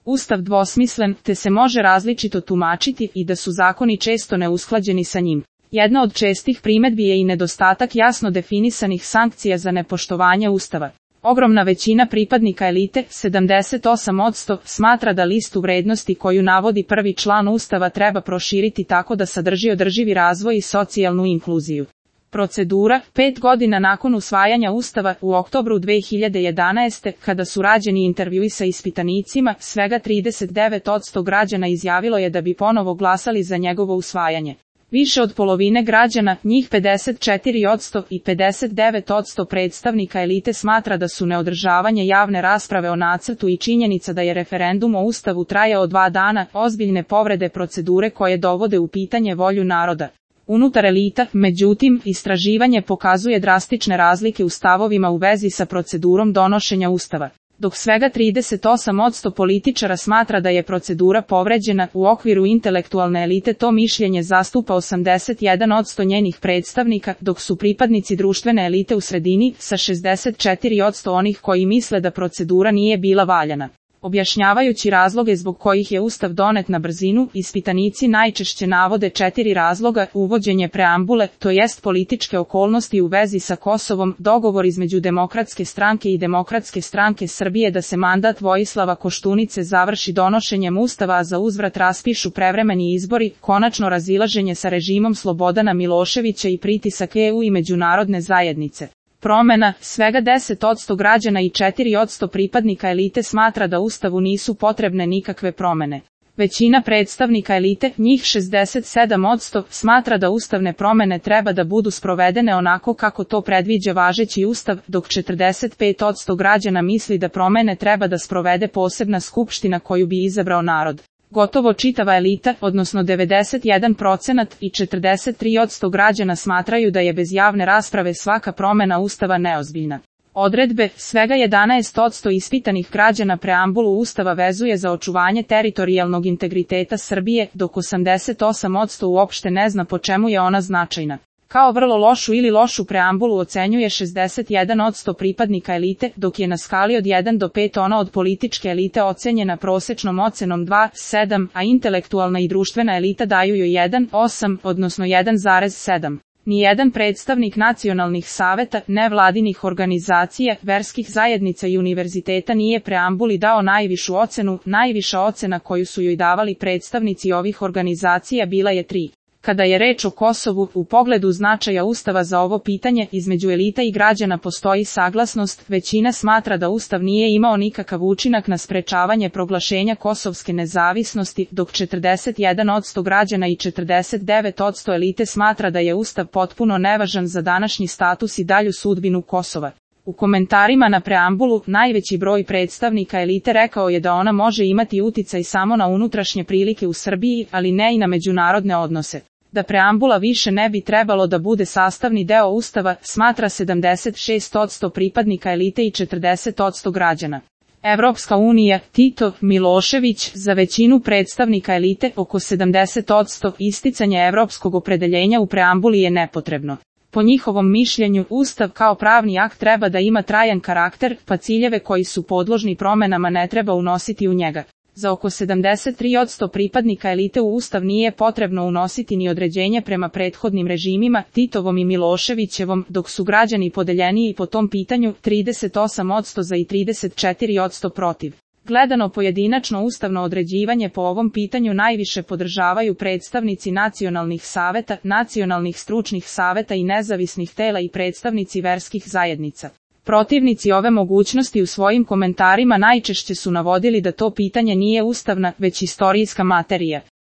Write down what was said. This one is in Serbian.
Ustav dvosmislen, te se može različito tumačiti i da su zakoni često neusklađeni sa njim. Jedna od čestih primedbi je i nedostatak jasno definisanih sankcija za nepoštovanje Ustava. Ogromna većina pripadnika elite, 78%, smatra da listu vrednosti koju navodi prvi član Ustava treba proširiti tako da sadrži održivi razvoj i socijalnu inkluziju. Procedura, 5 godina nakon usvajanja Ustava, u oktobru 2011. kada su rađeni intervjui sa ispitanicima, svega 39% građana izjavilo je da bi ponovo glasali za njegovo usvajanje. Više od polovine građana, njih 54% i 59% predstavnika elite smatra da su neodržavanje javne rasprave o nacrtu i činjenica da je referendum o Ustavu trajao 2 dana, ozbiljne povrede procedure koje dovode u pitanje volju naroda. Unutar elita, međutim, istraživanje pokazuje drastične razlike u stavovima u vezi sa procedurom donošenja Ustava. Dok svega 38% političara smatra da je procedura povređena, u okviru intelektualne elite to mišljenje zastupa 81% njenih predstavnika, dok su pripadnici društvene elite u sredini, sa 64% onih koji misle da procedura nije bila valjana. Objašnjavajući razloge zbog kojih je Ustav donet na brzinu, ispitanici najčešće navode 4 razloga: uvođenje preambule, to jest političke okolnosti u vezi sa Kosovom, dogovor između Demokratske stranke i Demokratske stranke Srbije da se mandat Vojislava Koštunice završi donošenjem Ustava, a za uzvrat raspišu prevremeni izbori, konačno razilaženje sa režimom Slobodana Miloševića i pritisak EU i međunarodne zajednice. Promena, svega 10% građana i 4% pripadnika elite smatra da Ustavu nisu potrebne nikakve promene. Većina predstavnika elite, njih 67%, smatra da ustavne promene treba da budu sprovedene onako kako to predviđa važeći Ustav, dok 45% građana misli da promene treba da sprovede posebna skupština koju bi izabrao narod. Gotovo čitava elita, odnosno 91% i 43% građana smatraju da je bez javne rasprave svaka promjena Ustava neozbiljna. Odredbe, svega 11% ispitanih građana preambulu Ustava vezuje za očuvanje teritorijalnog integriteta Srbije, dok 88% uopšte ne zna po čemu je ona značajna. Kao vrlo lošu ili lošu preambulu ocenjuje 61% pripadnika elite, dok je na skali od 1 do 5 ona od političke elite ocenjena prosečnom ocenom 2,7, a intelektualna i društvena elita daju joj 1,8, odnosno 1,7. Nijedan predstavnik nacionalnih saveta, nevladinih organizacija, verskih zajednica i univerziteta nije preambuli dao najvišu ocenu. Najviša ocena koju su joj davali predstavnici ovih organizacija bila je 3. Kada je reč o Kosovu, u pogledu značaja Ustava za ovo pitanje, između elita i građana postoji saglasnost. Većina smatra da Ustav nije imao nikakav učinak na sprečavanje proglašenja kosovske nezavisnosti, dok 41% građana i 49% elite smatra da je Ustav potpuno nevažan za današnji status i dalju sudbinu Kosova. U komentarima na preambulu, najveći broj predstavnika elite rekao je da ona može imati uticaj samo na unutrašnje prilike u Srbiji, ali ne i na međunarodne odnose. Da preambula više ne bi trebalo da bude sastavni deo Ustava, smatra 76% pripadnika elite i 40% građana. Evropska unija, Tito, Milošević, za većinu predstavnika elite, oko 70%, isticanje evropskog opredeljenja u preambuli je nepotrebno. Po njihovom mišljenju, Ustav kao pravni akt treba da ima trajan karakter, pa ciljeve koji su podložni promjenama ne treba unositi u njega. Za oko 73% pripadnika elite u Ustav nije potrebno unositi ni određenje prema prethodnim režimima, Titovom i Miloševićevom, dok su građani podeljeniji po tom pitanju, 38% za i 34% protiv. Gledano pojedinačno ustavno određivanje po ovom pitanju najviše podržavaju predstavnici nacionalnih saveta, nacionalnih stručnih saveta i nezavisnih tela i predstavnici verskih zajednica. Protivnici ove mogućnosti u svojim komentarima najčešće su navodili da to pitanje nije ustavna, već istorijska materija.